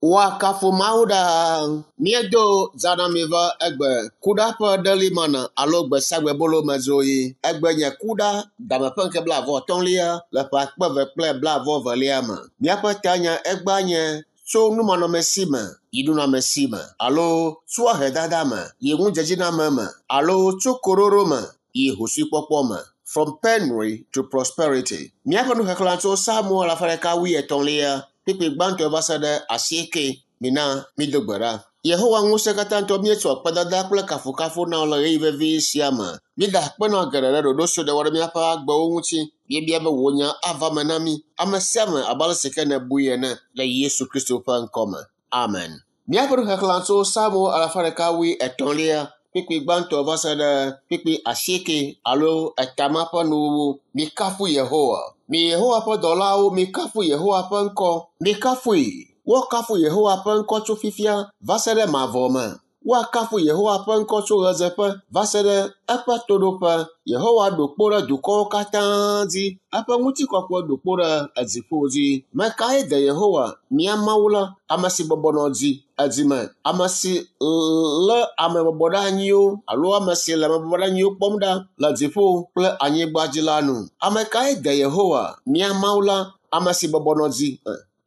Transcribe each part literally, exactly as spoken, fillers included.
Woakafu Mawu ɖaa. Míedo zã na mi va egbe kuɖa ƒe ɖelimana alo gbesiagbebolo me dzoɣi. Egbe nye kuɖa dame ƒe ŋkeke blaeve-vɔ-atɔ̃lia le ƒe akpe eve kple blaeve-vɔ-evelia me. Míaƒe tanya egbea nye tso numanɔmesi me yi nunɔamesi me alo tso ahedada me yi ŋudzedziname me alo tso koɖoɖo me yi hosuikpɔkpɔ me. From penury to prosperity. Míaƒe nuxexlẽ tso Psalmo alafa ɖeka wuietɔ̃lia kpukpui gbãtɔ va se ɖe asieke. Mina mído gbe ɖa. Yehowa ŋusẽkatãtɔ míetsɔ akpedada kple kafukafu na wò le ɣeyiɣi vevi sia me. Míeda akpe na wò geɖe ɖe ɖoɖo si nèwɔ ɖe míaƒe agbewo ŋuti. Míebia be wò nya ava me na mí ame sia ame abe ale si ke nèbui ene le Yesu Kristo ƒe ŋkɔ me. Amen. Míaƒe nuxexlẽ tso Psalmo alafa ɖeka wuietɔ̃lia kpukpui gbãtɔ va se ɖe kpukpui asieke alo etama ƒe nuwuwu. Mikafu Yehowa. Mi Yehowa ƒe dɔlawo, mikafu Yehowa ƒe ŋkɔ. Mikafui. Woakafu Yehowa ƒe ŋkɔ tso fifia va se ɖe mavɔ me. Woakafu Yehowa ƒe ŋkɔ tso ɣedzeƒe va se ɖe eƒe toɖoƒe. Yehowa ɖo kpo ɖe dukɔwo katã dzi. Eƒe ŋutikɔkɔe ɖo kpo ɖe edziƒo dzi. Mekae de Yehowa, mía Mawu la, ame si bɔbɔ nɔ dzi edzime, ame si lé ame bɔbɔɖeanyiwo alo ame si le ame bɔbɔɖeanyiwo kpɔm ɖa le dziƒo kple anyigba dzi la nu. Ame kae de Yehowa, mía Mawu la, ame si bɔbɔ nɔ dzi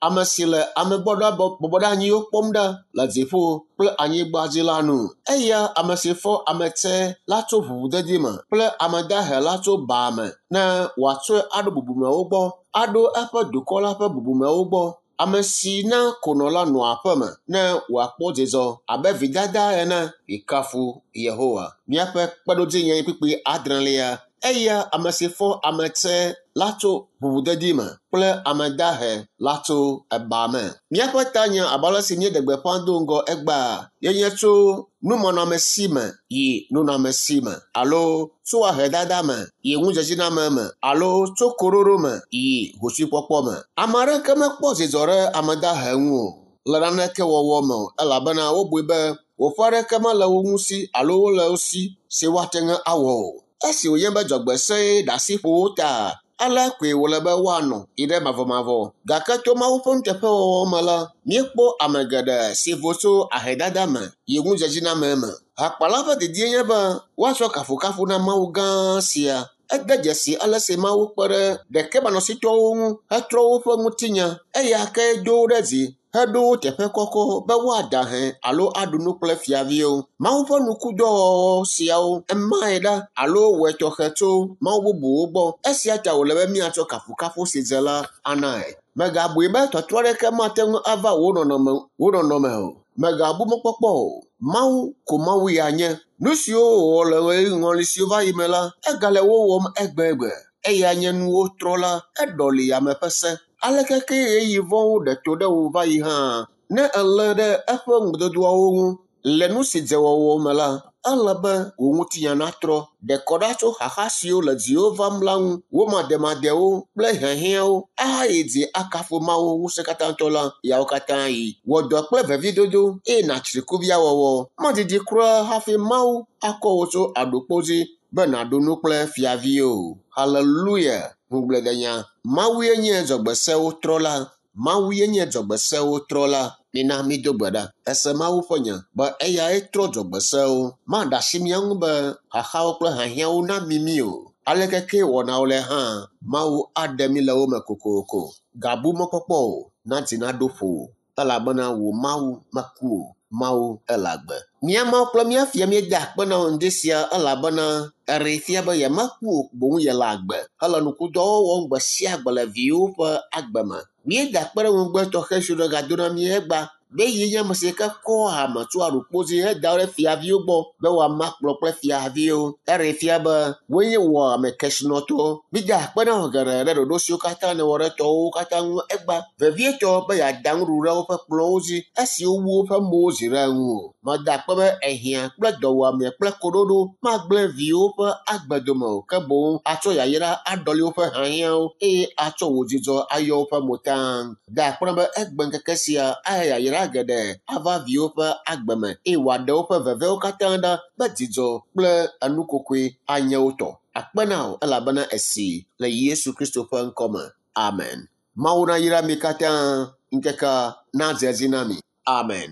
ame si le ame bɔbɔɖeanyiwo kpɔm ɖa le dziƒo kple anyigba dzi la nu. Eya ame si fɔ ame tsɛ la tso ʋuʋudedi me kple ame dahe la tso ba me ne wòatsɔe aɖo bubumewo gbɔ, aɖo eƒe dukɔ la ƒe bubumewo gbɔ. Ame si na konɔ la nɔa aƒe me ne wòakpɔ dzidzɔ abe vidada ene. Mikafu Yehowa. Míaƒe kpeɖodzinye kpukpui adrelia. Eya ame si fɔ ame tsɛ la tso ʋuʋudedi me kple ame dahe la tso eba me. Míaƒe tanya abe ale si míeɖe gbeƒã do ŋgɔ egbea yenye tso numanɔamesi me yi nunɔamesi me alo tso ahedada me yi ŋudzedziname me alo tso koɖoɖo me yi hosuikpɔkpɔ me. Ame aɖeke mekpɔ dzidzɔ ɖe ame dahe ŋu o le naneke wɔwɔ me o elabena wobui be woƒe aɖeke mele wo ŋu si alo wole wo si si woate ŋu awɔ o. Esi wònye be dzɔgbese ɖe asi ƒo wo ta, alea koe wòle be woanɔ yi ɖe mavɔmavɔ. Gake to Mawu ƒe nuteƒewɔwɔ me la, míekpɔ ame geɖe si vo tso ahedada me yi ŋudzedziname me. Hakpala ƒe didie nye be woatsɔ kafukafu na Mawu gã sia. Ede dzesi ale si Mawu kpe ɖe ɖekemanɔsitɔwo ŋu hetrɔ woƒe ŋutinya. Eya ke do wo ɖe dzi heɖo wo teƒe kɔkɔ be woada hɛ alo aɖu nu kple fiaviwo. Mawu ƒe nukudɔwɔwɔ siawo emae ɖa alo wɔe tɔxɛ tso mawu bubuwo gbɔ. Esia ta wòle be míatsɔ kafukafu si dze la anae. Mègabui be tɔtrɔ aɖeke mate ŋu ava wò nɔnɔme wò nɔnɔme o. Mègabu mɔkpɔkpɔ o. Mawu ko Mawu ya nye. Nu siwo wòwɔ le ɣeyiɣi siwo va yi me la, egale wo wɔm egbegbe. Eya nye nuwo trɔla, eɖɔli ame ƒe se. Aleke ke ɣeyiɣi vɔ̃wo ɖe to ɖe wò va yi hã, ne èlé ɖe eƒe ŋugbedodoawo ŋu le nu si dze wɔwɔ me la, ele be wò ŋutinya natrɔ. Ɖe kɔ ɖa tso xaxa siwo le dziwò vam la ŋu, wò mademadewo kple hiahiãwo ahayi dzi akafu Mawu ŋusẽkatãtɔ la yawo katã yi. Wɔ dɔ kple veviedodo eye nàtsri kuviawɔwɔ. Madidi kura hafi Mawu akɔ wò tso aɖukpo dzi be nàɖu nu kple fiaviwo. Haleluya! Ŋugbledenya. Mawue nye dzɔgbesewo trɔla. Mawue nye dzɔgbesewo trɔla. Mina mído gbe ɖa. Ese Mawu ƒe nya be eyae trɔ dzɔgbesewo. Maɖe asi mía ŋu be xaxawo kple hiahiãwo nami mí o. Aleke ke wɔnawo le hã, Mawu aɖe mí le wo me kokoko. Gabu mɔkpɔkpɔ o, na dzi naɖo ƒo elabena wò Mawu meku o. Mawu ele agbe. Mía Mawu kple mía Fia míeda akpe na wò ŋdi sia elabena eɖee fia be yemeku o boŋ yele agbe hele nukudɔwo wɔm gbe sia gbe le viwò ƒe agbe me. Míeda akpe ɖe ŋugbe tɔxɛ siwo nègado na mí egbea be ye nye ame si ke kɔ hame tso aɖukpo dzi heda wo ɖe fiaviwo gbɔ be woama kplɔ kple fiaviwo. Eɖee fia be woe nye wò ame kesinɔtɔ. Míeda akpe na wò geɖe ɖe ɖoɖo siwo katã nèwɔ ɖe tɔwòwo katã ŋu egbea. Vevietɔ be yeada nuɖuɖu ɖe woƒe kplɔ̃wo dzi esi wowu woƒe mowo zi ɖe ŋuwò. Meda akpe be ehiã kple dɔwuame kple koɖoɖo magblẽ viwò ƒe agbe dome o ke boŋ atsɔ yayra aɖɔli woƒe hiahiãwo eye atsɔ wò dzidzɔ ayɔ woƒe mo taŋ. Da akpe na be egbe ŋkeke sia ahe yayra geɖe ava viwò ƒe agbe me eye wòaɖe woƒe vevewo katã ɖa be dzidzɔ kple enukokoe anye wo tɔ. Akpe na wò elabena esi le Yesu Kristo ƒe ŋkɔ me. Amen. Mawu nayra mi katã. Ŋkeke nadze edzi na mi. Amen.